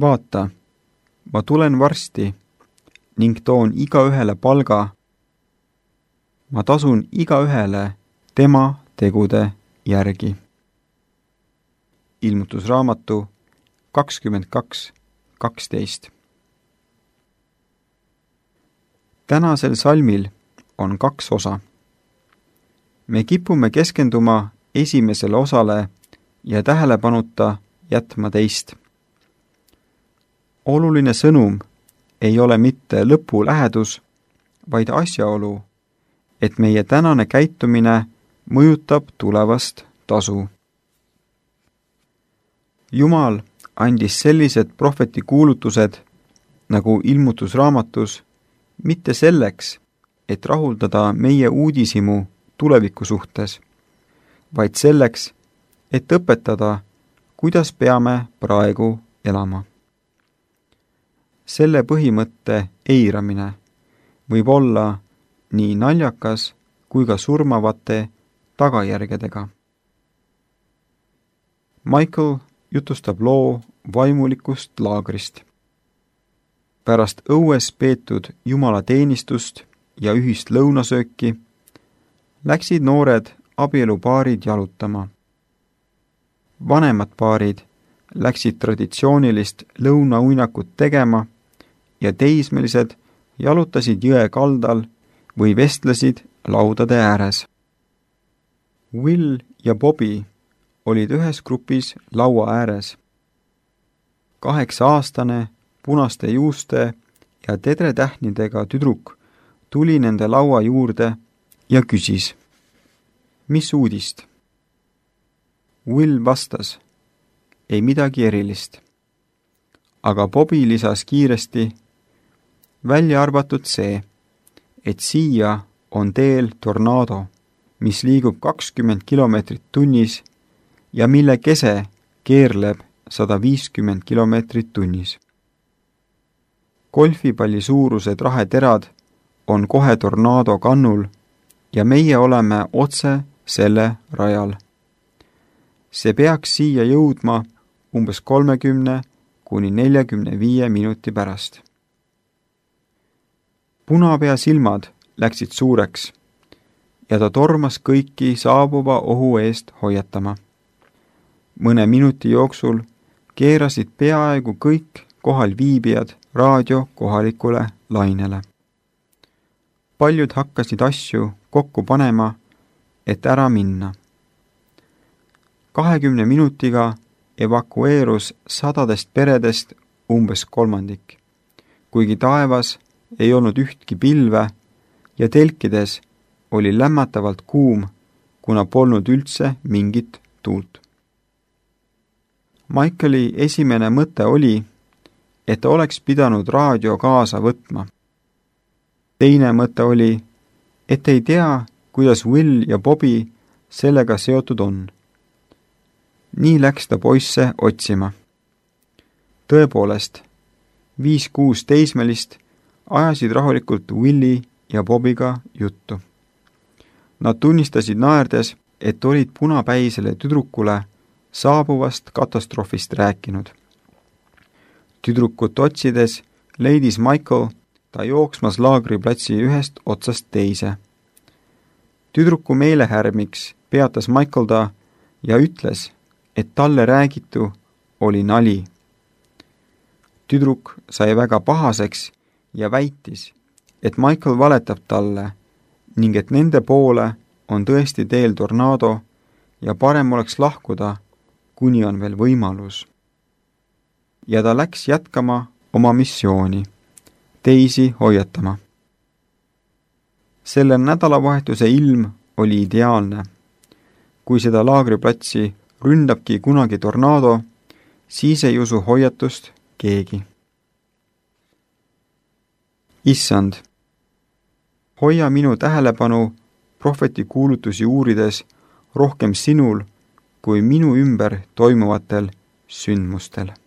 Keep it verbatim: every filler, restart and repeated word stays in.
vaata, ma tulen varsti ning toon igaühele palga. Ma tasun igaühele tema tegude järgi. Ilmutusraamatu kakskümmend kaks kaksteist. Tänasel salmil on kaks osa. Me kipume keskenduma esimesele osale ja tähelepanuta jätma teist. Oluline sõnum ei ole mitte lõpu lähedus, vaid asjaolu, et meie tänane käitumine mõjutab tulevast tasu. Jumal andis sellised prohveti kuulutused nagu ilmutusraamatus mitte selleks, et rahuldada meie uudishimu tuleviku suhtes, vaid selleks, et õpetada, kuidas peame praegu elama. Selle põhimõtte eiramine võib olla nii naljakas kui ka surmavate tagajärgedega. Michael jutustab loo vaimulikust laagrist. Pärast õues peetud jumalateenistust ja ühist lõunasööki läksid noored abielupaarid jalutama. Vanemad paarid läksid traditsioonilist lõunauinakut tegema ja teismelised jalutasid jõe kaldal või vestlesid laudade ääres. Will ja Bobby olid ühes grupis laua ääres. Kaheksa-aastane punaste juuste ja tedretähnidega tüdruk tuli nende laua juurde ja küsis, mis uudist? Will vastas, ei midagi erilist. Aga Bobby lisas kiiresti, välja arvatud see, et siia on teel tornaado, mis liigub kakskümmend kilomeetrit tunnis ja mille kese keerleb sada viiskümmend kilomeetrit tunnis. Golfipalli suurused raheterad on kohe tornaado kannul ja meie oleme otse selle rajal. See peaks siia jõudma umbes kolmekümne kuni neljakümne viie minuti pärast. Punapea silmad läksid suureks ja ta tormas kõiki saabuva ohu eest hoiatama. Mõne minuti jooksul keerasid peaaegu kõik kohal viibijad raadio kohalikule lainele. Paljud hakkasid asju kokku panema, et ära minna. Kahekümne minutiga evakueerus sadadest peredest umbes kolmandik, kuigi taevas ei olnud ühtki pilve ja telkides oli lämmatavalt kuum, kuna polnud üldse mingit tuult. Michaeli esimene mõte oli, et ta oleks pidanud raadio kaasa võtma. Teine mõte oli, et ei tea, kuidas Will ja Bobby sellega seotud on. Nii läks ta poisse otsima. Tõepoolest, viis-kuus teismelist ajasid rahulikult Willi ja Bobbyga juttu. Nad tunnistasid naerdes, et olid punapäisele tüdrukule saabuvast katastroofist rääkinud. Tüdrukut otsides leidis Michael ta jooksmas laagriplatsi ühest otsast teise. Tüdruku meelehärmiks peatas Michael ta ja ütles, et talle räägitu oli nali. Tüdruk sai väga pahaseks ja väitis, et Michael valetab talle ning et nende poole on tõesti teel tornaado ja parem oleks lahkuda, kuni on veel võimalus. Ja ta läks jätkama oma missiooni, teisi hoiatama. Selle nädalavahetuse ilm oli ideaalne. Kui seda laagriplatsi ründabki kunagi tornaado, siis ei usu hoiatust keegi. Issand, hoia minu tähelepanu prohveti kuulutusi uurides rohkem sinul kui minu ümber toimuvatel sündmustel.